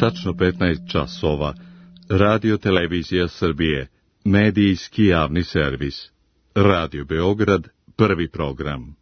tačno 15 časova. Radio Televizija Srbije, medijski javni servis. Radio Beograd, prvi program.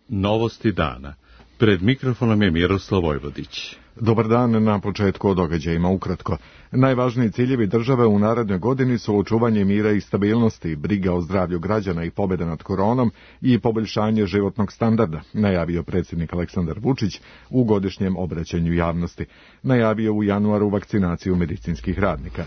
Novosti dana. Pred mikrofonom je Miroslav Vojvodić. Dobar dan, na početku o događajima ukratko. Najvažniji ciljevi države u narednoj godini su očuvanje mira i stabilnosti, briga o zdravlju građana i pobjeda nad koronom i poboljšanje životnog standarda, najavio predsjednik Aleksandar Vučić u godišnjem obraćanju javnosti. Najavio u januaru vakcinaciju medicinskih radnika.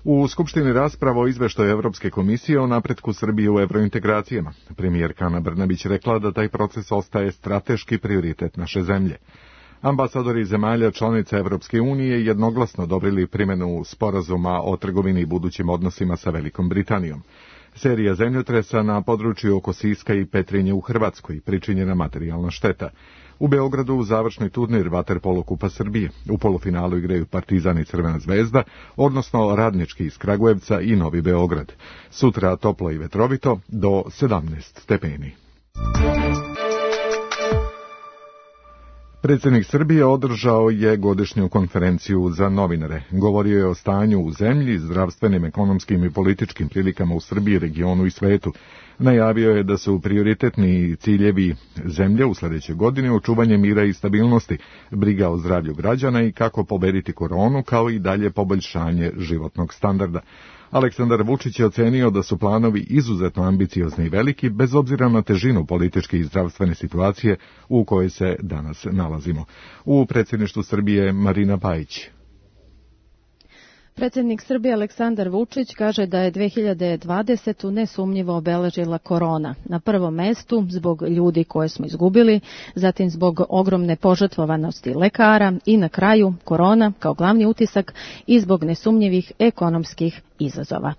U Skupštini rasprava o izveštaju Evropske komisije o napretku Srbije u evrointegracijama. Premijerka Ana Brnabić rekla da taj proces ostaje strateški prioritet naše zemlje. Ambasadori zemalja članica Evropske unije jednoglasno odobrili primjenu sporazuma o trgovini i budućim odnosima sa Velikom Britanijom. Serija zemljotresa na području oko Siska i Petrinje u Hrvatskoj, pričinjena materijalna šteta. U Beogradu završni turnir vaterpolo Kupa Srbije. U polufinalu igraju Partizan i Crvena zvezda, odnosno Radnički iz Kragujevca i Novi Beograd. Sutra toplo i vetrovito do 17 stepeni. Predsjednik Srbije održao je godišnju konferenciju za novinare. Govorio je o stanju u zemlji, zdravstvenim, ekonomskim i političkim prilikama u Srbiji, regionu i svetu. Najavio je da su prioritetni ciljevi zemlje u sljedećoj godini očuvanje mira i stabilnosti, briga o zdravlju građana i kako pobediti koronu, kao i dalje poboljšanje životnog standarda. Aleksandar Vučić je ocenio da su planovi izuzetno ambiciozni i veliki, bez obzira na težinu političke i zdravstvene situacije u kojoj se danas nalazimo. U predsjedništvu Srbije Marina Pajić. Predsjednik Srbije Aleksandar Vučić kaže da je 2020. nesumnjivo obeležila korona. Na prvom mestu zbog ljudi koje smo izgubili, zatim zbog ogromne požrtvovanosti lekara i na kraju korona kao glavni utisak i zbog nesumnjivih ekonomskih izazova.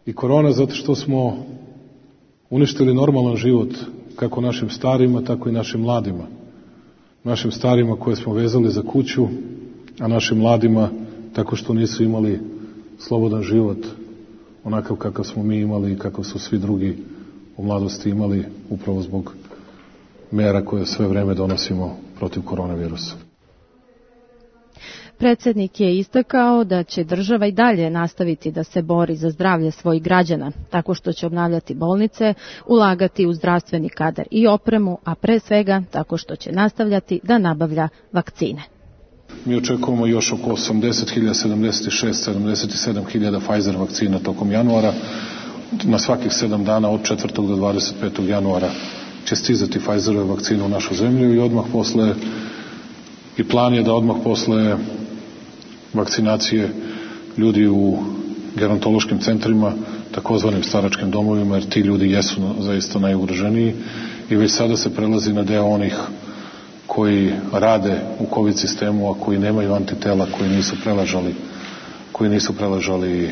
I korona zato što smo uništili normalan život kako našim starima, tako i našim mladima. Našim starima koje smo vezali za kuću, a našim mladima tako što nisu imali slobodan život onakav kakav smo mi imali i kakav su svi drugi u mladosti imali upravo zbog mera koje sve vreme donosimo protiv koronavirusa. Predsjednik je istakao da će država i dalje nastaviti da se bori za zdravlje svojih građana, tako što će obnavljati bolnice, ulagati u zdravstveni kadar i opremu, a pre svega tako što će nastavljati da nabavlja vakcine. Mi očekujemo još oko 80.000, 76, 77.000 Pfizer vakcina tokom januara. Na svakih 7 dana od 4. do 25. januara će stizati Pfizerove vakcine u našu zemlju i odmah posle, i plan je da odmah posle vakcinacije ljudi u gerontološkim centrima, takozvanim staračkim domovima, jer ti ljudi jesu zaista najugroženiji i već sada se prelazi na deo onih koji rade u COVID sistemu, a koji nemaju antitela, koji nisu preležali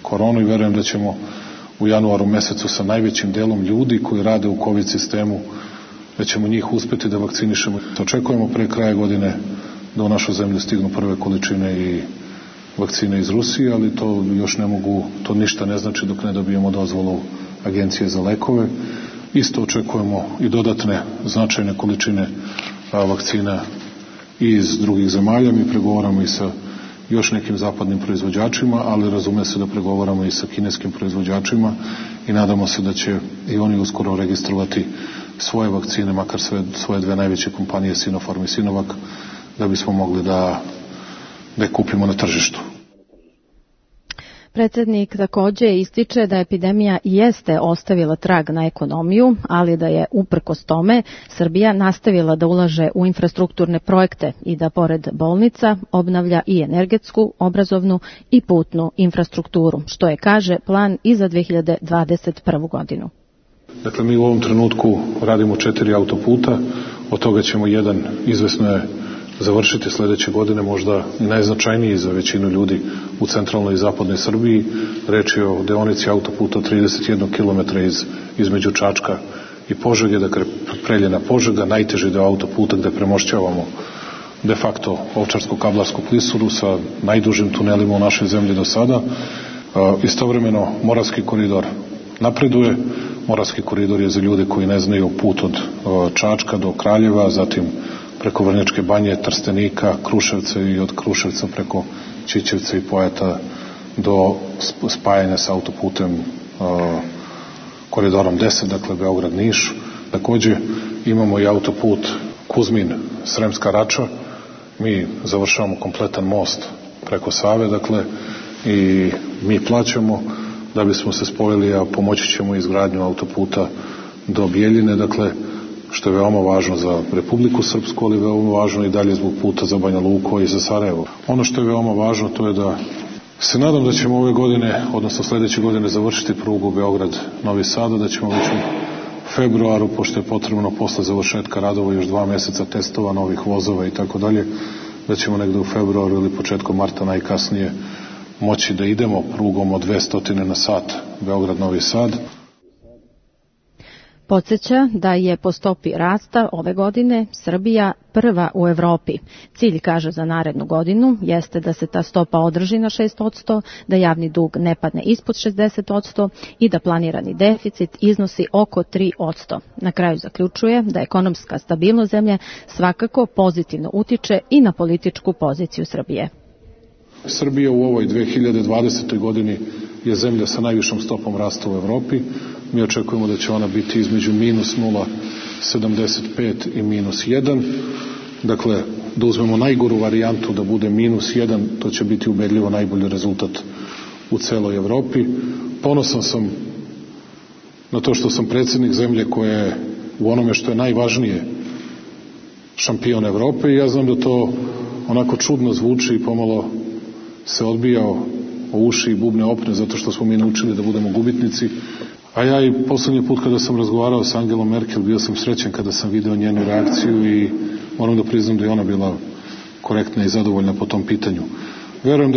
koronu i verujem da ćemo u januaru mesecu sa najvećim delom ljudi koji rade u COVID sistemu, da ćemo njih uspeti da vakcinišemo. Očekujemo pre kraja godine da u našu zemlju stignu prve količine i vakcine iz Rusije, ali to još ne mogu, to ništa ne znači dok ne dobijemo dozvolu Agencije za lekove. Isto očekujemo i dodatne značajne količine vakcina iz drugih zemalja. Mi pregovaramo i sa još nekim zapadnim proizvođačima, ali razume se da pregovaramo i sa kineskim proizvođačima i nadamo se da će i oni uskoro registrovati svoje vakcine, makar svoje dve najveće kompanije Sinopharm i Sinovac, da bismo mogli da je kupimo na tržištu. Predsjednik također ističe da epidemija jeste ostavila trag na ekonomiju, ali da je uprkos tome Srbija nastavila da ulaže u infrastrukturne projekte i da pored bolnica obnavlja i energetsku, obrazovnu i putnu infrastrukturu, što je, kaže, plan i za 2021. godinu. Dakle, mi u ovom trenutku radimo 4 autoputa, od toga ćemo jedan, izvesno je, završiti sljedeće godine, možda i najznačajniji za većinu ljudi u centralnoj i zapadnoj Srbiji. Reč je o deonici autoputa 31 km između Čačka i Požege, dakle Preljina-Požega, najteži deo autoputa gde premošćavamo de facto Ovčarsko-Kablarsku klisuru sa najdužim tunelima u našoj zemlji do sada. Istovremeno Moravski koridor napreduje, Moravski koridor je za ljude koji ne znaju put od Čačka do Kraljeva, zatim preko Vrnjačke Banje, Trstenika, Kruševca i od Kruševca preko Ćićevca i Pojata do spajanja sa autoputem koridorom 10, dakle Beograd-Niš. Takođe imamo i autoput Kuzmin-Sremska Rača. Mi završavamo kompletan most preko Save, dakle, i mi plaćamo da bismo se spojili, a pomoći ćemo izgradnju autoputa do Bijeljine, dakle, što je veoma važno za Republiku Srpsku, ali veoma važno i dalje zbog puta za Banja Luku i za Sarajevo. Ono što je veoma važno, to je da se nadam da ćemo ove godine, odnosno sledeće godine, završiti prugu Beograd-Novi Sad, da ćemo već u februaru, pošto je potrebno posle završetka radova još 2 meseca testova novih vozova i tako dalje, da ćemo negde u februaru ili početkom marta najkasnije moći da idemo prugom od 200 na sat Beograd-Novi Sad. Podsjeća da je po stopi rasta ove godine Srbija prva u Evropi. Cilj, kaže, za narednu godinu jeste da se ta stopa održi na 6%, da javni dug ne padne ispod 60% i da planirani deficit iznosi oko 3%. Na kraju zaključuje da ekonomska stabilnost zemlje svakako pozitivno utiče i na političku poziciju Srbije. Srbija u ovoj 2020. godini je zemlja sa najvišom stopom rasta u Evropi. Mi očekujemo da će ona biti između minus 0,75 i minus 1. Dakle, da uzmemo najgoru varijantu da bude minus 1, to će biti ubedljivo najbolji rezultat u celoj Evropi. Ponosan sam na to što sam predsjednik zemlje koja je u onome što je najvažnije šampion Evrope i ja znam da to onako čudno zvuči i pomalo se odbijao o uši i bubne opne zato što smo mi naučili da budemo gubitnici. A ja i poslednji put kada sam razgovarao sa Angelom Merkel bio sam srećan kada sam video njenu reakciju i moram da priznam da je ona bila korektna i zadovoljna po tom pitanju. Verujem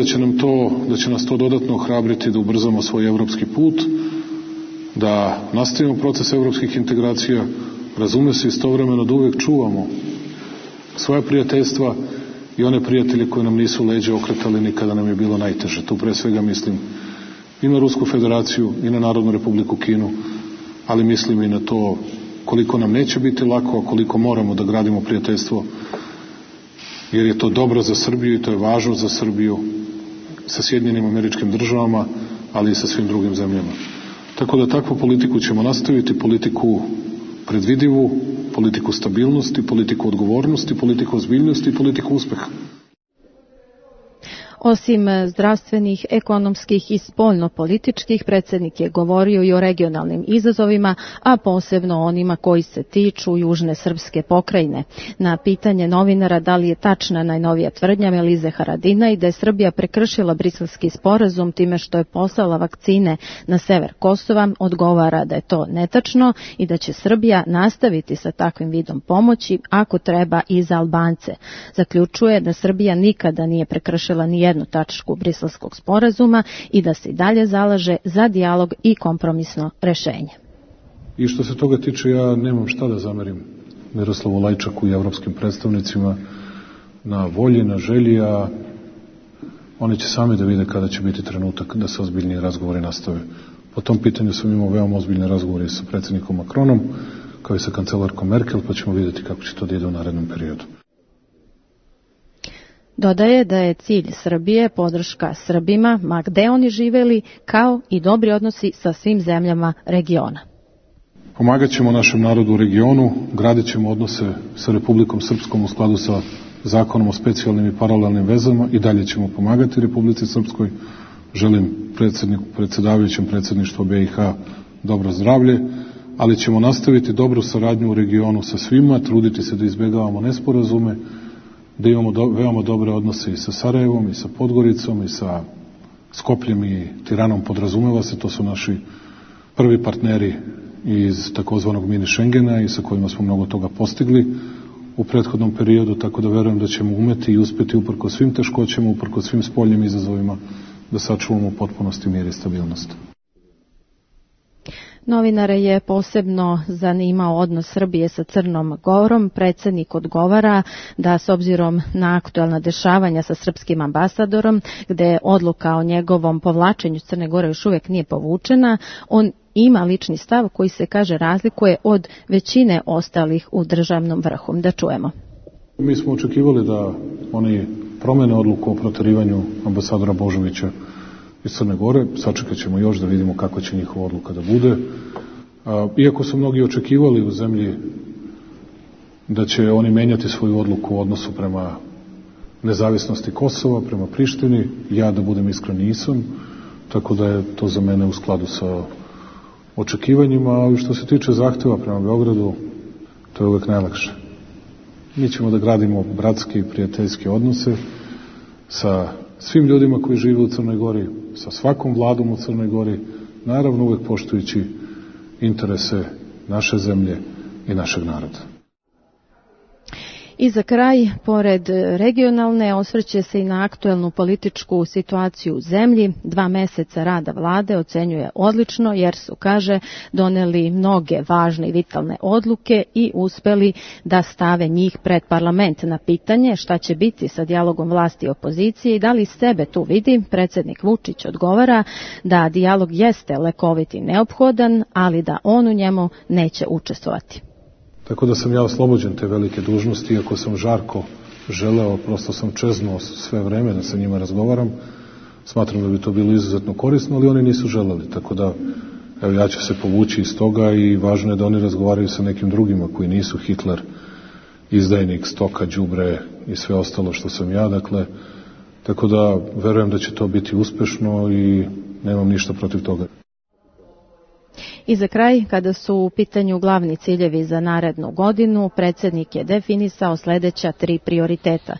da će nas to dodatno ohrabriti da ubrzamo svoj evropski put, da nastavimo proces evropskih integracija, razume se istovremeno da uvek čuvamo svoje prijateljstva i one prijatelje koji nam nisu leđa okretali ni kada nam je bilo najteže. Tu pre svega mislim i na Rusku federaciju i na Narodnu republiku Kinu, ali mislim i na to koliko nam neće biti lako, a koliko moramo da gradimo prijateljstvo, jer je to dobro za Srbiju i to je važno za Srbiju sa Sjedinjenim Američkim Državama, ali i sa svim drugim zemljama. Tako da takvu politiku ćemo nastaviti, politiku predvidivu, politiku stabilnosti, politiku odgovornosti, politiku ozbiljnosti i politiku uspeha. Osim zdravstvenih, ekonomskih i spoljno-političkih, predsjednik je govorio i o regionalnim izazovima, a posebno onima koji se tiču južne srpske pokrajine. Na pitanje novinara da li je tačna najnovija tvrdnja Melize Haradina i da je Srbija prekršila Briselski sporazum time što je poslala vakcine na sever Kosova, odgovara da je to netačno i da će Srbija nastaviti sa takvim vidom pomoći ako treba i za Albance. Zaključuje da Srbija nikada nije prekršila ni jednu tačku Briselskog sporazuma i da se i dalje zalaže za dijalog i kompromisno rešenje. I što se toga tiče, ja nemam šta da zamerim Miroslavu Lajčaku i evropskim predstavnicima na volji, na želji, a oni će sami da vide kada će biti trenutak da se ozbiljniji razgovori nastave. Po tom pitanju sam imao veoma ozbiljne razgovore sa predsjednikom Macronom, kao i sa kancelarkom Merkel, pa ćemo vidjeti kako će to da ide u narednom periodu. Dodaje da je cilj Srbije podrška Srbima, ma gde oni živeli, kao i dobri odnosi sa svim zemljama regiona. Pomagat ćemo našem narodu u regionu, gradit ćemo odnose sa Republikom Srpskom u skladu sa zakonom o specijalnim i paralelnim vezama i dalje ćemo pomagati Republici Srpskoj. Želim predsjedavajućem predsjedništvu BiH dobro zdravlje, ali ćemo nastaviti dobru saradnju u regionu sa svima, truditi se da izbjegavamo nesporazume, da imamo veoma dobre odnose i sa Sarajevom, i sa Podgoricom, i sa Skopljem i Tiranom, podrazumeva se, to su naši prvi partneri iz takozvanog mini Schengena i sa kojima smo mnogo toga postigli u prethodnom periodu, tako da verujem da ćemo umeti i uspeti uprkos svim teškoćama, uprkos svim spoljnim izazovima, da sačuvamo u potpunosti mir i stabilnost. Novinare je posebno zanimao odnos Srbije sa Crnom Gorom. Predsjednik odgovara da s obzirom na aktuelna dešavanja sa srpskim ambasadorom, gde odluka o njegovom povlačenju Crne Gore još uvijek nije povučena, on ima lični stav koji se, kaže, razlikuje od većine ostalih u državnom vrhu. Da čujemo. Mi smo očekivali da oni promene odluku o proterivanju ambasadora Božovića iz Crne Gore. Sačekat ćemo još da vidimo kako će njihova odluka da bude. Iako su mnogi očekivali u zemlji da će oni menjati svoju odluku u odnosu prema nezavisnosti Kosova, prema Prištini, ja, da budem iskren, nisam, tako da je to za mene u skladu sa očekivanjima, ali što se tiče zahteva prema Beogradu, to je uvek najlakše. Mi ćemo da gradimo bratske i prijateljske odnose sa svim ljudima koji žive u Crnoj Gori, sa svakom vladom u Crnoj Gori, naravno uvek poštujući interese naše zemlje i našeg naroda. I za kraj, pored regionalne, osvrće se i na aktuelnu političku situaciju u zemlji. 2 meseca rada vlade ocenjuje odlično jer su, kaže, doneli mnoge važne i vitalne odluke i uspeli da stave njih pred parlament. Na pitanje šta će biti sa dijalogom vlasti i opozicije i da li sebe tu vidi, predsjednik Vučić odgovara da dijalog jeste lekovit i neophodan, ali da on u njemu neće učestvovati. Tako da sam ja oslobođen te velike dužnosti, iako sam žarko želeo, prosto sam čeznuo sve vreme da sa njima razgovaram. Smatram da bi to bilo izuzetno korisno, ali oni nisu želeli. Tako da, evo, ja ću se povući iz toga i važno je da oni razgovaraju sa nekim drugima koji nisu Hitler, izdajnik, stoka, đubre i sve ostalo što sam ja. Dakle, tako da verujem da će to biti uspešno i nemam ništa protiv toga. I za kraj, kada su u pitanju glavni ciljevi za narednu godinu, predsjednik je definisao sljedeća 3 prioriteta.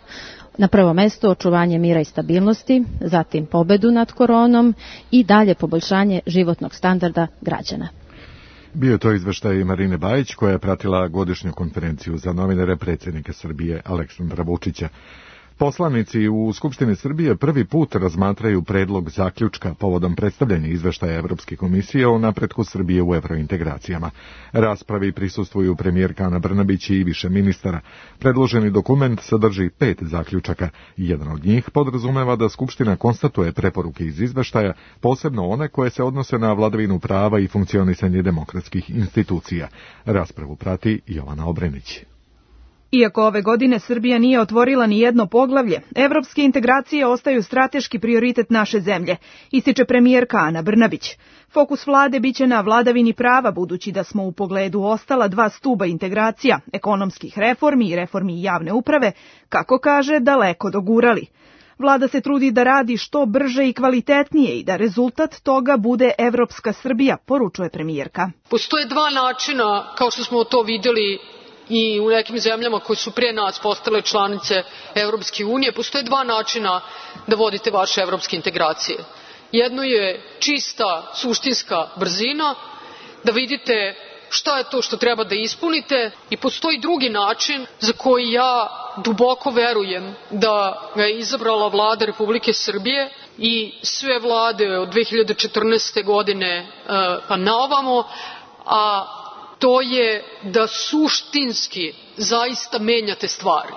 Na prvo mesto očuvanje mira i stabilnosti, zatim pobedu nad koronom i dalje poboljšanje životnog standarda građana. Bio je to izveštaj Marine Bajić koja je pratila godišnju konferenciju za novinare predsjednika Srbije Aleksandra Vučića. Poslanici u Skupštini Srbije prvi put razmatraju predlog zaključka povodom predstavljanja izveštaja Evropske komisije o napretku Srbije u evrointegracijama. Raspravi prisustvuju premijerka Ana Brnabić i više ministara. Predloženi dokument sadrži 5 zaključaka. Jedan od njih podrazumeva da Skupština konstatuje preporuke iz izveštaja, posebno one koje se odnose na vladavinu prava i funkcionisanje demokratskih institucija. Raspravu prati Jovana Obrenić. Iako ove godine Srbija nije otvorila ni jedno poglavlje, evropske integracije ostaju strateški prioritet naše zemlje, ističe premijerka Ana Brnabić. Fokus vlade biće na vladavini prava, budući da smo u pogledu ostala 2 stuba integracija, ekonomskih reformi i reformi javne uprave, kako kaže, daleko dogurali. Vlada se trudi da radi što brže i kvalitetnije i da rezultat toga bude evropska Srbija, poručuje premijerka. Postoje 2 načina, kao što smo to vidjeli i u nekim zemljama koje su prije nas postale članice Evropske unije, postoje 2 načina da vodite vaše evropske integracije. Jedno je čista, suštinska brzina, da vidite šta je to što treba da ispunite, i postoji drugi način za koji ja duboko verujem da ga je izabrala vlada Republike Srbije i sve vlade od 2014. godine pa naovamo, a to je da suštinski zaista menjate stvari.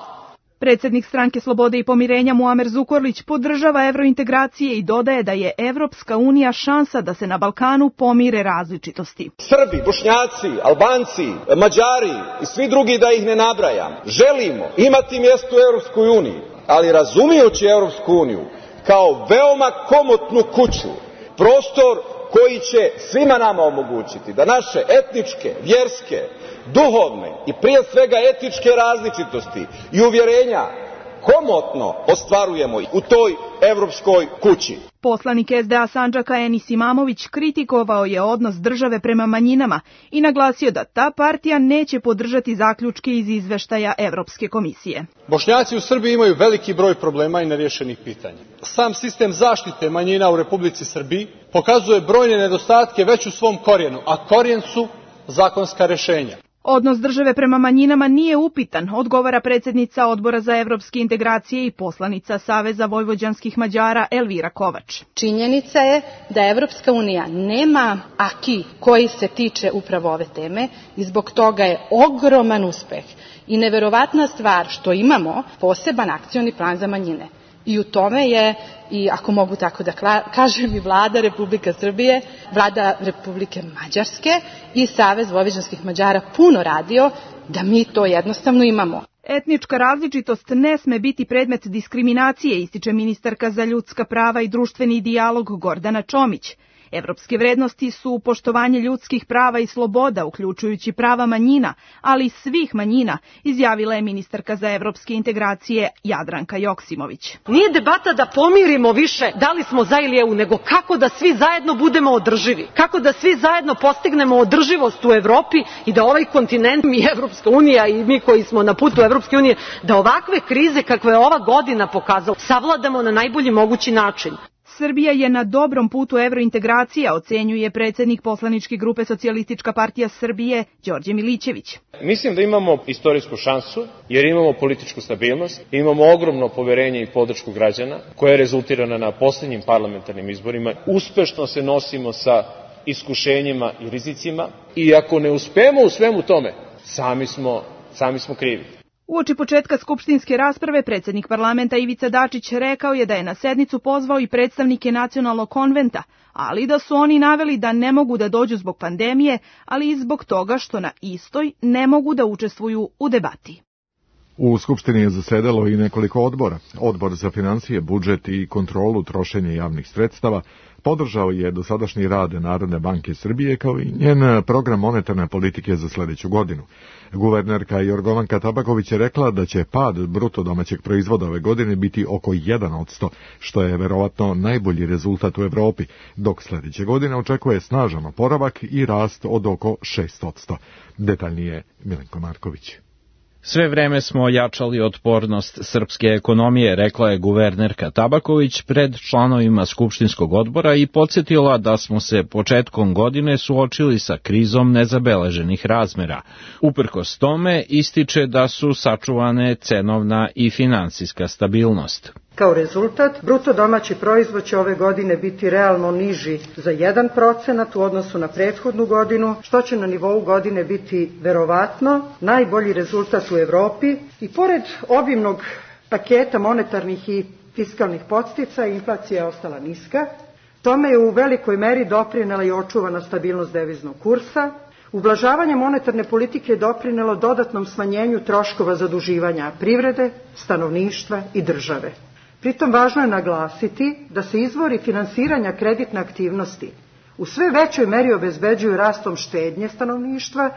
Predsjednik Stranke slobode i pomirenja Muamer Zukorlić podržava evrointegracije i dodaje da je Evropska unija šansa da se na Balkanu pomire različitosti. Srbi, Bošnjaci, Albanci, Mađari i svi drugi, da ih ne nabrajam, želimo imati mjesto u Evropskoj uniji, ali razumijući Evropsku uniju kao veoma komotnu kuću, prostor koji će svima nama omogućiti da naše etničke, vjerske, duhovne i prije svega etičke različitosti i uvjerenja komotno ostvarujemo u toj evropskoj kući. Poslanik SDA Sandžaka Enis Imamović kritikovao je odnos države prema manjinama i naglasio da ta partija neće podržati zaključke iz izveštaja Evropske komisije. Bošnjaci u Srbiji imaju veliki broj problema i nerješenih pitanja. Sam sistem zaštite manjina u Republici Srbiji pokazuje brojne nedostatke već u svom korijenu, a korijen su zakonska rješenja. Odnos države prema manjinama nije upitan, odgovara predsjednica Odbora za evropske integracije i poslanica Saveza vojvođanskih Mađara Elvira Kovač. Činjenica je da Evropska unija nema aki koji se tiče upravo ove teme i zbog toga je ogroman uspeh i neverovatna stvar što imamo poseban akcioni plan za manjine. I u tome je i, ako mogu tako da kažem, i Vlada Republike Srbije, Vlada Republike Mađarske i Savez vojvođanskih Mađara puno radio da mi to jednostavno imamo. Etnička različitost ne sme biti predmet diskriminacije, ističe ministarka za ljudska prava i društveni dijalog Gordana Čomić. Evropske vrednosti su poštovanje ljudskih prava i sloboda, uključujući prava manjina, ali i svih manjina, izjavila je ministarka za evropske integracije Jadranka Joksimović. Nije debata da pomirimo više da li smo za ili EU, nego kako da svi zajedno budemo održivi, kako da svi zajedno postignemo održivost u Evropi i da ovaj kontinent i Evropska unija i mi koji smo na putu Evropske unije, da ovakve krize kakve je ova godina pokazala, savladamo na najbolji mogući način. Srbija je na dobrom putu evrointegracija, ocenjuje predsednik poslaničke grupe Socijalistička partija Srbije, Đorđe Milićević. Mislim da imamo istorijsku šansu, jer imamo političku stabilnost, imamo ogromno poverenje i podršku građana, koja je rezultirana na poslednjim parlamentarnim izborima. Uspešno se nosimo sa iskušenjima i rizicima i ako ne uspemo u svemu tome, sami smo krivi. Uoči početka skupštinske rasprave, predsednik parlamenta Ivica Dačić rekao je da je na sednicu pozvao i predstavnike Nacionalnog konventa, ali da su oni naveli da ne mogu da dođu zbog pandemije, ali i zbog toga što na istoj ne mogu da učestvuju u debati. U Skupštini je zasedalo i nekoliko odbora. Odbor za financije, budžet i kontrolu trošenja javnih sredstava podržao je dosadašnji rad Narodne banke Srbije kao i njen program monetarne politike za sledeću godinu. Guvernerka Jorgovanka Tabaković je rekla da će pad bruto domaćeg proizvoda ove godine biti oko 1%, što je verovatno najbolji rezultat u Evropi, dok sledeće godine očekuje snažan oporavak i rast od oko 6%. Detaljnije Milenko Marković. Sve vreme smo ojačali otpornost srpske ekonomije, rekla je guvernerka Tabaković pred članovima Skupštinskog odbora i podsjetila da smo se početkom godine suočili sa krizom nezabeleženih razmera. Uprkos tome ističe da su sačuvane cenovna i finansijska stabilnost. Kao rezultat, bruto domaći proizvod će ove godine biti realno niži za 1% u odnosu na prethodnu godinu, što će na nivou godine biti verovatno najbolji rezultat u Evropi. I pored obimnog paketa monetarnih i fiskalnih podsticaja, inflacija je ostala niska. Tome je u velikoj meri doprinela i očuvana stabilnost deviznog kursa. Ublažavanje monetarne politike je doprinelo dodatnom smanjenju troškova zaduživanja privrede, stanovništva i države. Pritom važno je naglasiti da se izvori finansiranja kreditne aktivnosti u sve većoj meri obezbeđuju rastom štednje stanovništva,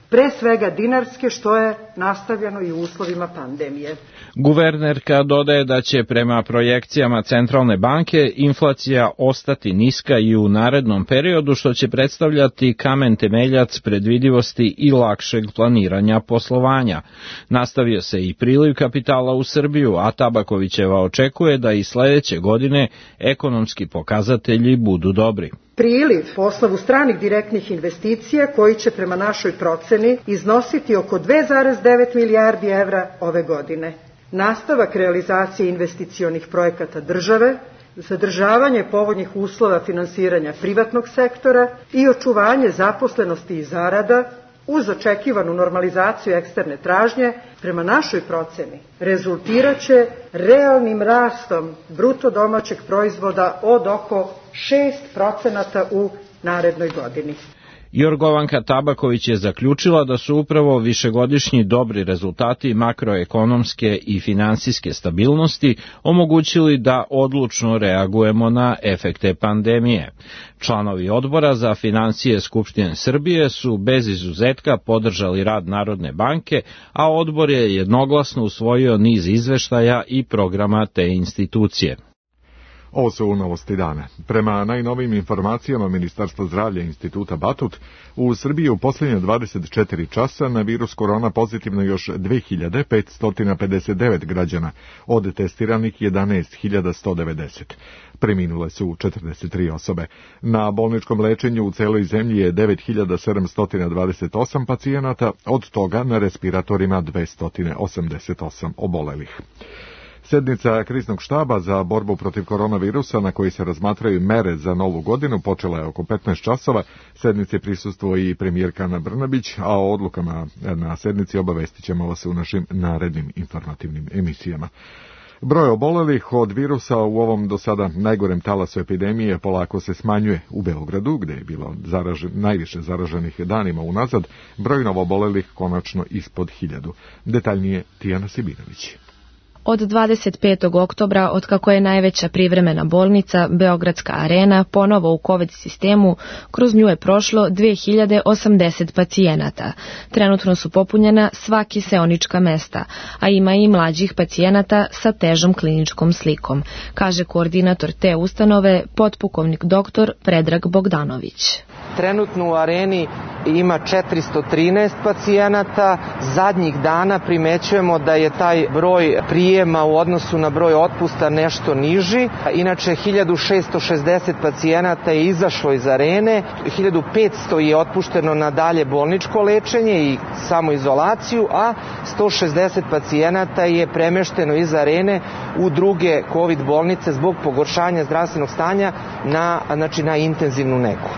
pre svega dinarske, što je nastavljeno i u uslovima pandemije. Guvernerka dodaje da će prema projekcijama Centralne banke inflacija ostati niska i u narednom periodu, što će predstavljati kamen temeljac predvidivosti i lakšeg planiranja poslovanja. Nastavio se i priliv kapitala u Srbiju, a Tabakovićeva očekuje da i sledeće godine ekonomski pokazatelji budu dobri. Priliv po osnovu stranih direktnih investicija koji će prema našoj proceni iznositi oko 2,9 milijardi evra ove godine. Nastavak realizacije investicionih projekata države, zadržavanje povoljnih uslova finansiranja privatnog sektora i očuvanje zaposlenosti i zarada uz očekivanu normalizaciju eksterne tražnje, prema našoj proceni, rezultiraće realnim rastom bruto domaćeg proizvoda od oko 6% u narednoj godini. Jorgovanka Tabaković je zaključila da su upravo višegodišnji dobri rezultati makroekonomske i finansijske stabilnosti omogućili da odlučno reagujemo na efekte pandemije. Članovi odbora za financije Skupštine Srbije su bez izuzetka podržali rad Narodne banke, a odbor je jednoglasno usvojio niz izveštaja i programa te institucije. Ovo su novosti dana. Prema najnovijim informacijama Ministarstva zdravlja Instituta Batut, u Srbiji u posljednje 24 časa na virus korona pozitivno još 2559 građana, od testiranih 11.190. Preminule su 43 osobe. Na bolničkom lečenju u celoj zemlji je 9728 pacijenata, od toga na respiratorima 288 obolelih. Sednica kriznog štaba za borbu protiv koronavirusa na kojoj se razmatraju mere za novu godinu počela je oko 15 časova. Sednici prisustvuje i premijerka Ana Brnabić, a o odlukama na sednici obavestit ćemo vas u našim narednim informativnim emisijama. Broj obolelih od virusa u ovom do sada najgorem talasu epidemije polako se smanjuje. U Beogradu, gde je bilo najviše zaraženih danima unazad, broj novoobolelih konačno ispod 1000. Detaljnije Tijana Sibinović. Od 25. oktobra, otkako je najveća privremena bolnica, Beogradska arena, ponovo u COVID sistemu, kroz nju je prošlo 2080 pacijenata. Trenutno su popunjena sva kiseonička mesta, a ima i mlađih pacijenata sa težom kliničkom slikom, kaže koordinator te ustanove, potpukovnik dr. Predrag Bogdanović. Trenutno u areni ima 413 pacijenata. Zadnjih dana primećujemo da je taj broj prijema u odnosu na broj otpusta nešto niži. Inače, 1660 pacijenata je izašlo iz arene, 1500 je otpušteno na dalje bolničko lečenje i samoizolaciju, a 160 pacijenata je premešteno iz arene u druge COVID bolnice zbog pogoršanja zdravstvenog stanja na intenzivnu negu.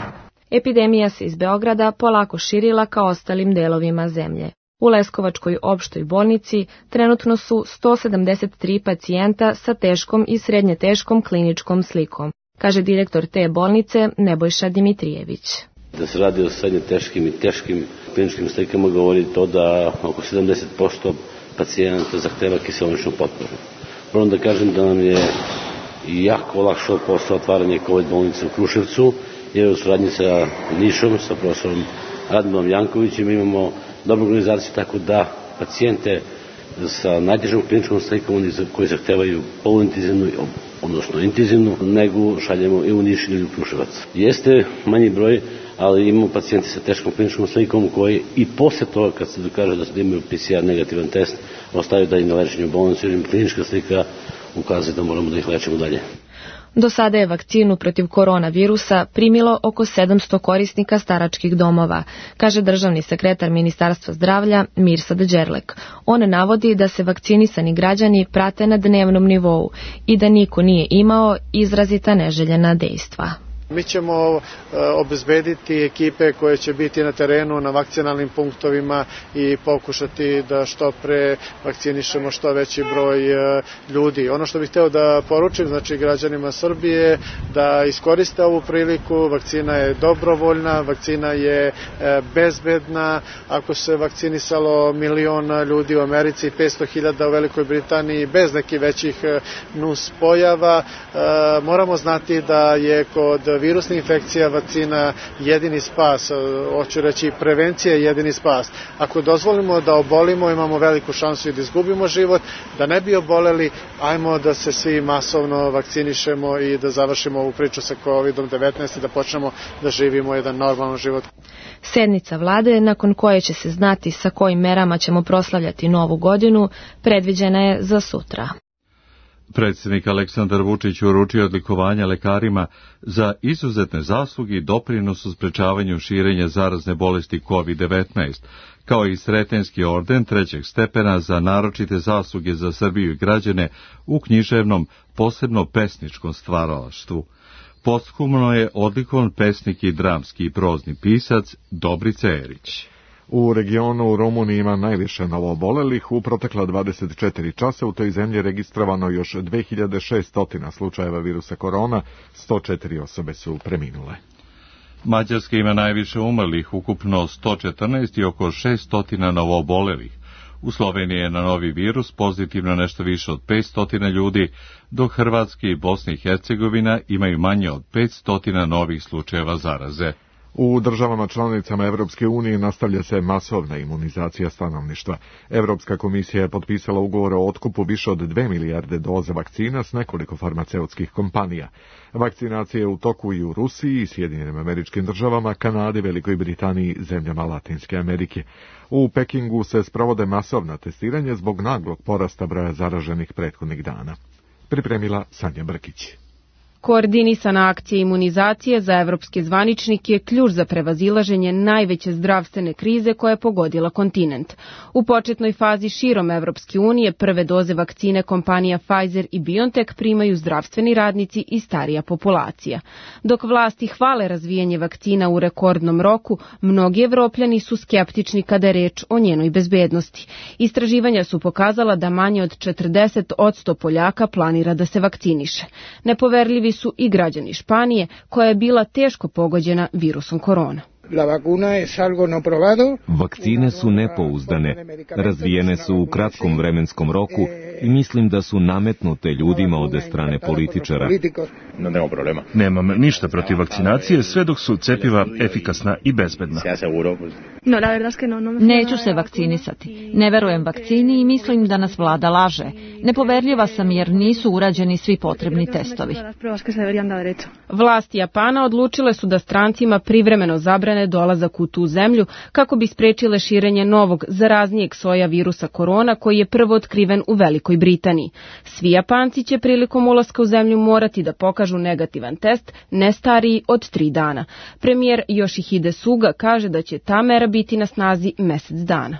Epidemija se iz Beograda polako širila ka ostalim delovima zemlje. U Leskovačkoj opštoj bolnici trenutno su 173 pacijenta sa teškom i srednje teškom kliničkom slikom, kaže direktor te bolnice Nebojša Dimitrijević. Da se radi o srednje teškim i teškim kliničkim slikama govori to da oko 70% pacijenata zahteva kiseoničnu potporu. Moram da kažem da nam je jako olakšao posao otvaranje COVID bolnice u Kruševcu, jer u suradnji sa Nišom, sa profesorom Radmilom Jankovićem imamo dobru organizaciju, tako da pacijente sa najtežom kliničkom slikom koji zahtevaju poluintenzivnu, odnosno intenzivnu negu, šaljemo i u Niš ili u Kruševac. Jeste manji broj, ali imamo pacijenti sa teškom kliničkom slikom koji i posle toga, kad se dokaže da imaju PCR negativan test, ostaju dalje na lečenju u bolnici, jer im klinička slika ukazuje da moramo da ih lečimo dalje. Do sada je vakcinu protiv koronavirusa primilo oko 700 korisnika staračkih domova, kaže državni sekretar Ministarstva zdravlja Mirsad Đerlek. On navodi da se vakcinisani građani prate na dnevnom nivou i da niko nije imao izrazita neželjena dejstva. Mi ćemo obezbediti ekipe koje će biti na terenu, na vakcinalnim punktovima i pokušati da što pre vakcinišemo što veći broj ljudi. Ono što bih hteo da poručim, znači građanima Srbije, da iskoriste ovu priliku, vakcina je dobrovoljna, vakcina je bezbedna. Ako se vakcinisalo 1 milion ljudi u Americi i 500.000 u Velikoj Britaniji bez nekih većih nus pojava, moramo znati da je kod virusna infekcija vakcina jedini spas, hoću reći prevencija je jedini spas. Ako dozvolimo da obolimo, imamo veliku šansu i da izgubimo život, da ne bi oboleli, ajmo da se svi masovno vakcinišemo i da završimo ovu priču sa COVID-19 i da počnemo da živimo jedan normalan život. Sednica vlade, nakon koje će se znati sa kojim merama ćemo proslavljati novu godinu, predviđena je za sutra. Predsjednik Aleksandar Vučić uručio odlikovanja lekarima za izuzetne zasluge i doprinos u sprečavanju širenja zarazne bolesti COVID-19, kao i Sretenski orden 3. stepena za naročite zasluge za Srbiju i građane u književnom, posebno pesničkom stvaralaštvu. Posthumno je odlikovan pesnik i dramski i prozni pisac Dobrica Erić. U regionu u Rumuniji ima najviše novoobolelih. U protekla 24 časa u toj zemlji registrovano još 2600 slučajeva virusa korona, 104 osobe su preminule. Mađarska ima najviše umrlih, ukupno 114 i oko 600 novoobolelih. U Sloveniji je na novi virus pozitivno nešto više od 500 ljudi, dok Hrvatska i Bosna i Hercegovina imaju manje od 500 novih slučajeva zaraze. U državama članicama Evropske unije nastavlja se masovna imunizacija stanovništva. Evropska komisija je potpisala ugovor o otkupu više od 2 milijarde doza vakcina s nekoliko farmaceutskih kompanija. Vakcinacija je u toku i u Rusiji, Sjedinjenim Američkim Državama, Kanadi, Velikoj Britaniji, zemljama Latinske Amerike. U Pekingu se sprovode masovna testiranja zbog naglog porasta broja zaraženih prethodnih dana. Pripremila Sanja Brkić. Koordinisana akcija imunizacije za evropske zvaničnike je ključ za prevazilaženje najveće zdravstvene krize koja je pogodila kontinent. U početnoj fazi širom Evropske unije prve doze vakcine kompanija Pfizer i BioNTech primaju zdravstveni radnici i starija populacija. Dok vlasti hvale razvijanje vakcina u rekordnom roku, mnogi Evropljani su skeptični kada je reč o njenoj bezbednosti. Istraživanja su pokazala da manje od 40% Poljaka planira da se vakciniše. Nepoverljivi su i građani Španije, koja je bila teško pogođena virusom korona. Vakcine su nepouzdane, razvijene su u kratkom vremenskom roku i mislim da su nametnute ljudima od strane političara. Nema problema. Nemam ništa protiv vakcinacije sve dok su cepiva efikasna i bezbedna. Neću se vakcinisati. Ne verujem vakcini i mislim da nas vlada laže. Nepoverljiva sam jer nisu urađeni svi potrebni testovi. Vlasti Japana odlučile su da strancima privremeno zabrane dolazak u tu zemlju kako bi sprečile širenje novog zaraznijeg soja virusa korona koji je prvo otkriven u Velikoj Britaniji. Svi Japanci će prilikom ulaska u zemlju morati da pokažu negativan test ne stariji od 3 dana. Premijer Yoshihide Suga kaže da će ta mera biti na snazi mesec dana.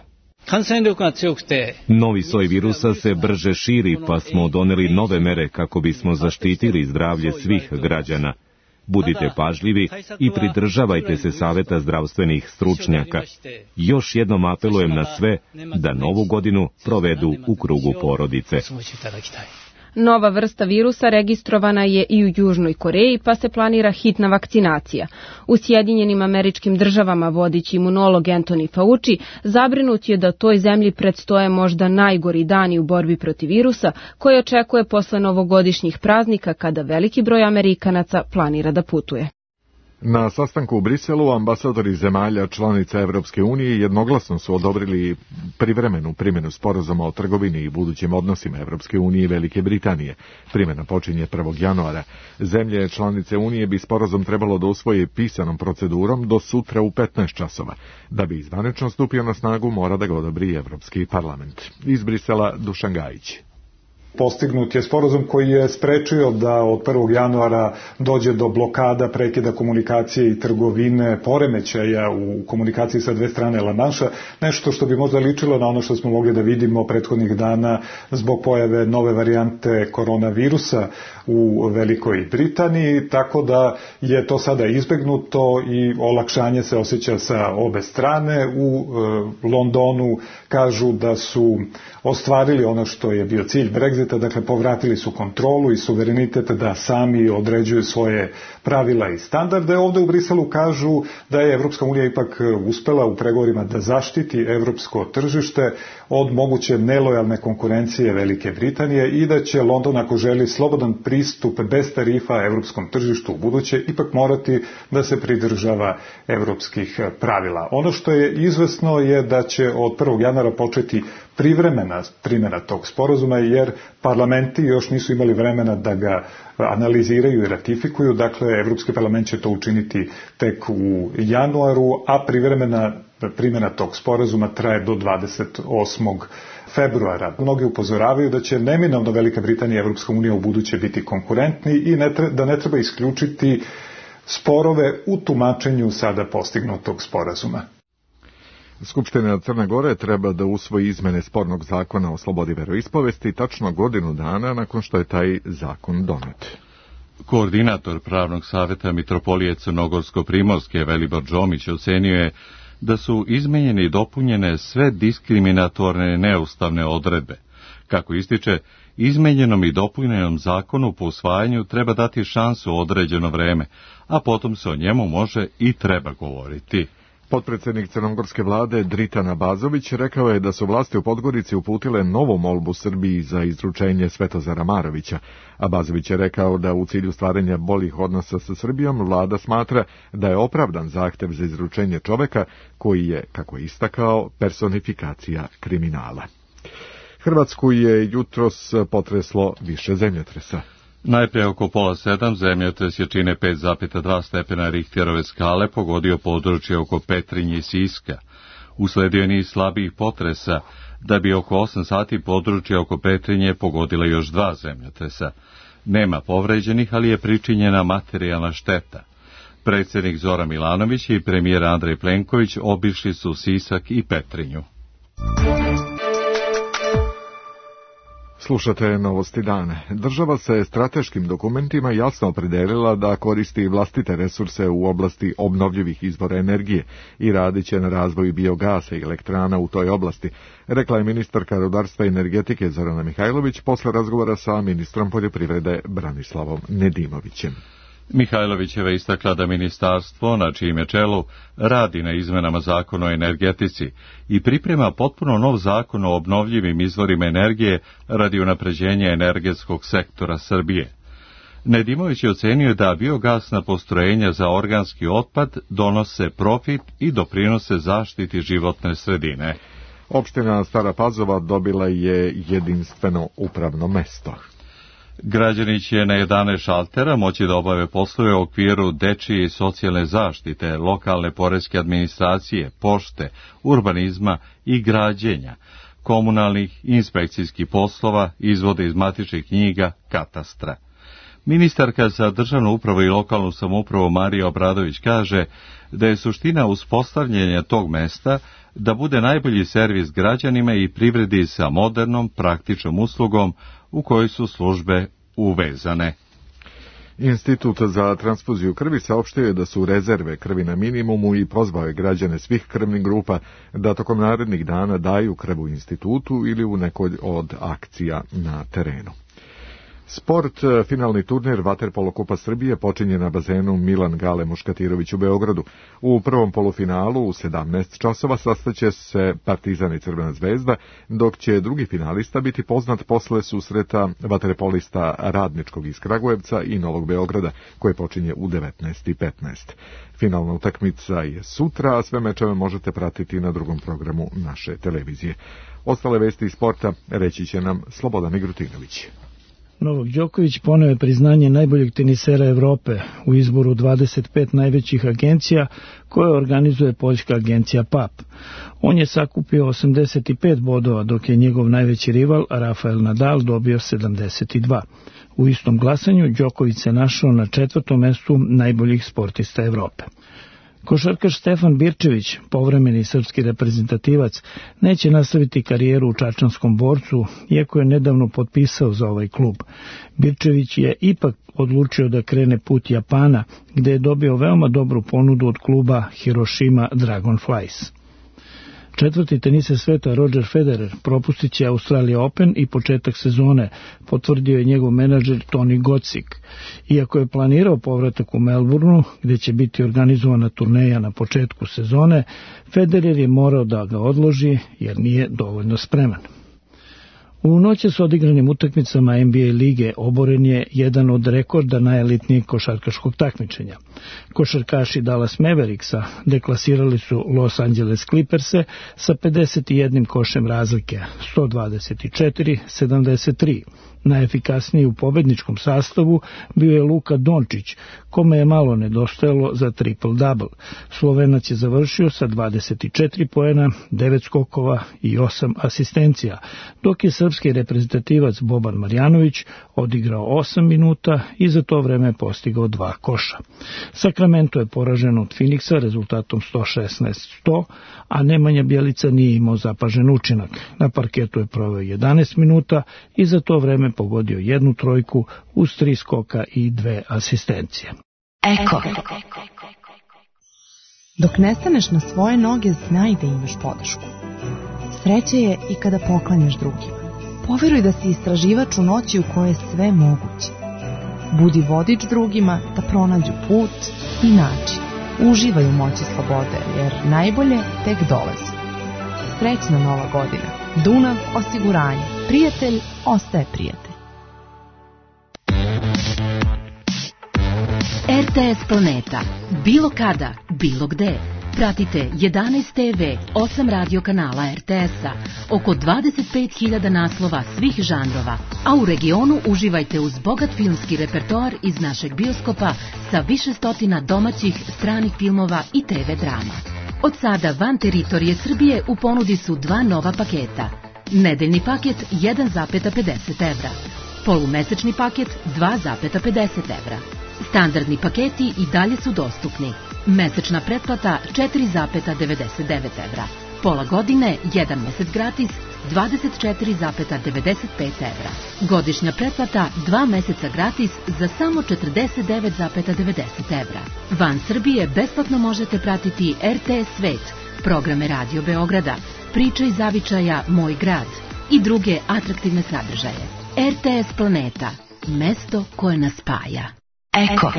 Novi soj virusa se brže širi, pa smo doneli nove mere kako bismo zaštitili zdravlje svih građana. Budite pažljivi i pridržavajte se saveta zdravstvenih stručnjaka. Još jednom apelujem na sve da novu godinu provedu u krugu porodice. Nova vrsta virusa registrovana je i u Južnoj Koreji, pa se planira hitna vakcinacija. U Sjedinjenim Američkim Državama vodeći imunolog Anthony Fauci zabrinut je da toj zemlji predstoje možda najgori dani u borbi protiv virusa, koji očekuje posle novogodišnjih praznika kada veliki broj Amerikanaca planira da putuje. Na sastanku u Briselu ambasadori zemalja članica Evropske unije jednoglasno su odobrili privremenu primjenu sporazuma o trgovini i budućim odnosima Evropske unije i Velike Britanije. Primjena počinje 1. januara. Zemlje članice unije bi sporazum trebalo da usvoje pisanom procedurom do sutra u 15 časova. Da bi zvanično stupio na snagu, mora da ga odobri Evropski parlament. Iz Brisela Dušan Gajić. Postignut je sporazum koji je sprečio da od 1. januara dođe do blokada, prekida komunikacije i trgovine, poremećaja u komunikaciji sa dve strane La Manša, nešto što bi možda ličilo na ono što smo mogli da vidimo prethodnih dana zbog pojave nove varijante koronavirusa u Velikoj Britaniji, tako da je to sada izbegnuto i olakšanje se osjeća sa obe strane. U Londonu kažu da su ostvarili ono što je bio cilj Brexita, dakle povratili su kontrolu i suverenitet da sami određuju svoje pravila i standarde. Ovde u Briselu kažu da je Evropska unija ipak uspela u pregovorima da zaštiti evropsko tržište od moguće nelojalne konkurencije Velike Britanije i da će London, ako želi slobodan pristup bez tarifa evropskom tržištu u buduće, ipak morati da se pridržava evropskih pravila. Ono što je izvesno je da će od 1. januara početi privremena primjena tog sporazuma, jer parlamenti još nisu imali vremena da ga analiziraju i ratifikuju. Dakle, Evropski parlament će to učiniti tek u januaru, a privremena primjena tog sporazuma traje do 28. februara. Mnogi upozoravaju da će neminovno Velika Britanija i Evropska unija u buduće biti konkurentni i da ne treba isključiti sporove u tumačenju sada postignutog sporazuma. Skupština Crne Gore treba da usvoji izmene spornog zakona o slobodi veroispovesti tačno godinu dana nakon što je taj zakon donet. Koordinator Pravnog saveta Mitropolije Crnogorsko-Primorske Velibor Džomić ocenio je da su izmenjene i dopunjene sve diskriminatorne neustavne odredbe. Kako ističe, izmenjenom i dopunjenom zakonu po usvajanju treba dati šansu određeno vreme, a potom se o njemu može i treba govoriti. Potpredsjednik crnogorske vlade Dritan Abazović rekao je da su vlasti u Podgorici uputile novu molbu Srbiji za izručenje Svetozara Marovića. Abazović je rekao da u cilju stvaranja boljih odnosa sa Srbijom vlada smatra da je opravdan zahtev za izručenje čoveka koji je, kako je istakao, personifikacija kriminala. Hrvatsku je jutros potreslo više zemljotresa. Najprije oko 6:30 zemljotres jačine 5,2 stepena Richterove skale pogodio područje oko Petrinje i Siska. Usledio je niz slabijih potresa, da bi oko 8 sati područje oko Petrinje pogodila još 2 zemljotresa. Nema povređenih, ali je pričinjena materijalna šteta. Predsjednik Zoran Milanović i premijer Andrej Plenković obišli su Sisak i Petrinju. Slušate Novosti dana. Država se strateškim dokumentima jasno opredelila da koristi vlastite resurse u oblasti obnovljivih izvora energije i radit će na razvoju biogasa i elektrana u toj oblasti, rekla je ministarka rudarstva i energetike Zorana Mihajlović posle razgovora sa ministrom poljoprivrede Branislavom Nedimovićem. Mihajlovićeva istakla da ministarstvo, na čijem je čelu, radi na izmenama zakona o energetici i priprema potpuno nov zakon o obnovljivim izvorima energije radi unapređenja energetskog sektora Srbije. Nedimović je ocenio da biogasna postrojenja za organski otpad donose profit i doprinose zaštiti životne sredine. Opština Stara Pazova dobila je jedinstveno upravno mesto. Građani će na 11 šaltera moći da obave poslove u okviru dečije i socijalne zaštite, lokalne poreske administracije, pošte, urbanizma i građenja, komunalnih i inspekcijskih poslova, izvode iz matičnih knjiga, katastra. Ministarka za državnu upravu i lokalnu samoupravu Marija Obradović kaže da je suština uspostavljanja tog mesta da bude najbolji servis građanima i privredi sa modernom, praktičnom uslugom u kojoj su službe uvezane. Institut za transfuziju krvi saopštio je da su rezerve krvi na minimumu i pozvao je građane svih krvnih grupa da tokom narednih dana daju krv u institutu ili u nekoj od akcija na terenu. Sport, finalni turnir Vaterpolo Kupa Srbije počinje na bazenu Milan Gale Muškatirović u Beogradu. U prvom polufinalu u 17 časova sastaće se Partizan i Crvena zvezda, dok će drugi finalista biti poznat posle susreta vaterpolista Radničkog iz Kragujevca i Novog Beograda, koje počinje u 19:15. Finalna utakmica je sutra, a sve mečeve možete pratiti na drugom programu naše televizije. Ostale vesti iz sporta reći će nam Slobodan Migrutinović. Novak Đoković poneo je priznanje najboljeg tenisera Evrope u izboru 25 najvećih agencija koje organizuje poljska agencija PAP. On je sakupio 85 bodova, dok je njegov najveći rival Rafael Nadal dobio 72. U istom glasanju Đoković se našao na 4. mestu najboljih sportista Evrope. Košarkaš Stefan Birčević, povremeni srpski reprezentativac, neće nastaviti karijeru u čačanskom Borcu, iako je nedavno potpisao za ovaj klub. Birčević je ipak odlučio da krene put Japana, gde je dobio veoma dobru ponudu od kluba Hiroshima Dragonflies. Četvrti teniser sveta Roger Federer propustit će Australija Open i početak sezone, potvrdio je njegov menadžer Toni Gocik. Iako je planirao povratak u Melbourneu, gde će biti organizovana turneja na početku sezone, Federer je morao da ga odloži jer nije dovoljno spreman. U noći s odigranim utakmicama NBA lige oboren je jedan od rekorda najelitnijeg košarkaškog takmičenja. Košarkaši Dallas Mavericksa deklasirali su Los Angeles Clipperse sa 51 košem razlike, 124-73. Najefikasniji u pobedničkom sastavu bio je Luka Dončić, kome je malo nedostajalo za triple-double. Slovenac je završio sa 24 poena, 9 skokova i 8 asistencija, dok je srpski reprezentativac Boban Marjanović odigrao 8 minuta i za to vreme postigao 2 koša. Sacramento je poražen od Phoenixa rezultatom 116-100, a Nemanja Bjelica nije imao zapažen učinak. Na parketu je proveo 11 minuta i za to vreme pogodio 1 trojku uz 3 skoka i 2 asistencije. Eko. Dok ne staneš na svoje noge, znaj da imaš podršku. Sreće je i kada poklanjaš drugima. Poveruj da si istraživač u noći u kojoj je sve moguće. Budi vodič drugima da pronađu put i način. Uživaj u moći slobode, jer najbolje tek dolazi. Srećna Nova godina. Dunav osiguranje. Prijatelj ostaje prijatelj. RTS Planeta. Bilo kada, bilo gde. Pratite 11 TV, 8 radio kanala RTS-a, oko 25.000 naslova svih žanrova, a u regionu uživajte uz bogat filmski repertoar iz našeg bioskopa sa više stotina domaćih, stranih filmova i TV drama. Od sada van teritorije Srbije u ponudi su 2 nova paketa. Nedeljni paket 1,50 evra. Polumesečni paket 2,50 evra. Standardni paketi i dalje su dostupni. Mesečna pretplata 4,99 evra. Pola godine, 1 mesec gratis, 24,95 evra. Godišnja pretplata 2 meseca gratis za samo 49,90 evra. Van Srbije besplatno možete pratiti RTS Svet, programe Radio Beograda, Priče iz zavičaja Moj grad i druge atraktivne sadržaje. RTS Planeta, mesto koje nas spaja. Eko.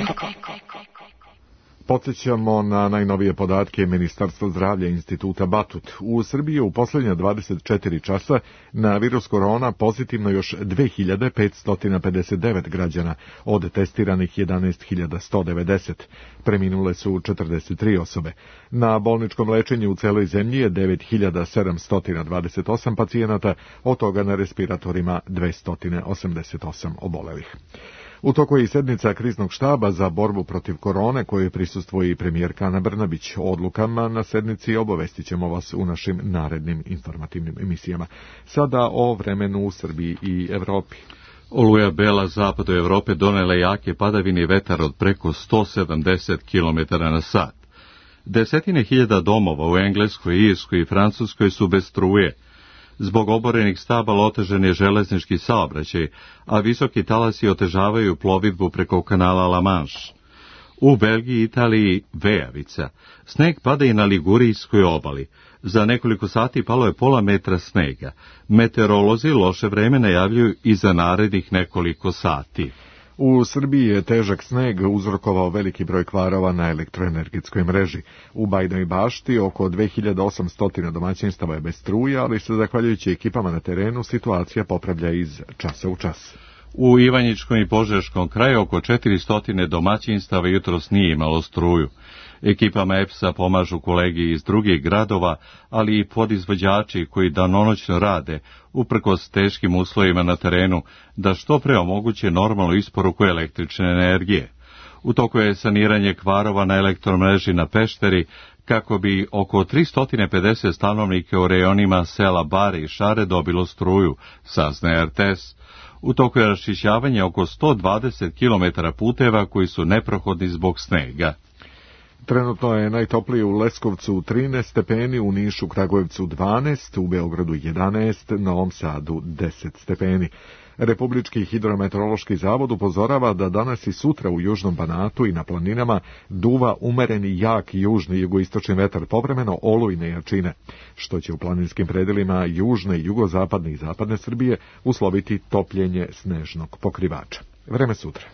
Podsjećamo na najnovije podatke Ministarstva zdravlja Instituta Batut. U Srbiji je u poslednja 24 časa na virus korona pozitivno još 2559 građana, od testiranih 11.190. Preminule su 43 osobe. Na bolničkom lečenju u celoj zemlji je 9728 pacijenata, od toga na respiratorima 288 obolelih. U toku je i sednica kriznog štaba za borbu protiv korone, kojoj prisustvuje i premijerka Ana Brnabić. O odlukama na sednici obavestit ćemo vas u našim narednim informativnim emisijama. Sada o vremenu u Srbiji i Evropi. Oluja Bela zapadu Evrope donela jake padavine i vetar od preko 170 km na sat. Desetine hiljada domova u Engleskoj, Irskoj i Francuskoj su bez struje. Zbog oborenih stabala otežan je železnički saobraćaj, a visoki talasi otežavaju plovidbu preko kanala La Manche. U Belgiji i Italiji vejavica. Sneg pada i na Ligurijskoj obali. Za nekoliko sati palo je pola metra snega. Meteorolozi loše vreme najavljuju i za narednih nekoliko sati. U Srbiji je težak sneg uzrokovao veliki broj kvarova na elektroenergetskoj mreži. U Bajinoj Bašti oko 2800 domaćinstava je bez struje, ali se zahvaljujući ekipama na terenu situacija popravlja iz časa u čas. U Ivanjičkom i Požeškom kraju oko 400 domaćinstava jutros nije imalo struju. Ekipama EPS-a pomažu kolegi iz drugih gradova, ali i podizvođači koji danonoćno rade, uprkos teškim uslovima na terenu, da što pre omoguće normalnu isporuku električne energije. U toku je saniranje kvarova na elektromreži na Pešteri, kako bi oko 350 stanovnika u rejonima sela Bare i Šare dobilo struju, saznaje RTS. U toku je raščišćavanje oko 120 km puteva koji su neprohodni zbog snega. Trenutno je najtoplije u Leskovcu 13 stepeni, u Nišu, Kragujevcu 12, u Beogradu 11, Novom Sadu 10 stepeni. Republički hidrometeorološki zavod upozorava da danas i sutra u Južnom Banatu i na planinama duva umereni jak južni jugoistočni vetar, povremeno olujne jačine, što će u planinskim predelima južne i jugozapadne i zapadne Srbije usloviti topljenje snežnog pokrivača. Vreme sutra.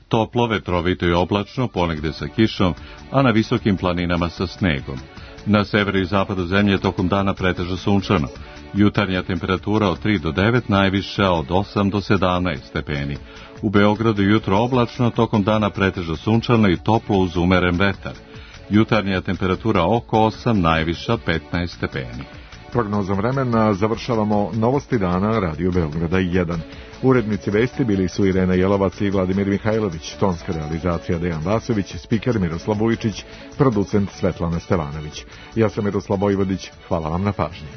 Toplo, vetrovito i oblačno, ponegde sa kišom, a na visokim planinama sa snegom. Na severu i zapadu zemlje tokom dana pretežno sunčano. Jutarnja temperatura od 3 do 9, najviša od 8 do 17 stepeni. U Beogradu jutro oblačno, tokom dana pretežno sunčano i toplo uz umeren vetar. Jutarnja temperatura oko 8, najviša 15 stepeni. Prognozom vremena završavamo Novosti dana Radio Beograda 1. Urednici vesti bili su Irena Jelovac i Vladimir Mihajlović, tonska realizacija Dejan Vasović, spiker Miroslav Vujčić, producent Svetlana Stevanović. Ja sam Miroslav Vojvodić, hvala vam na pažnji.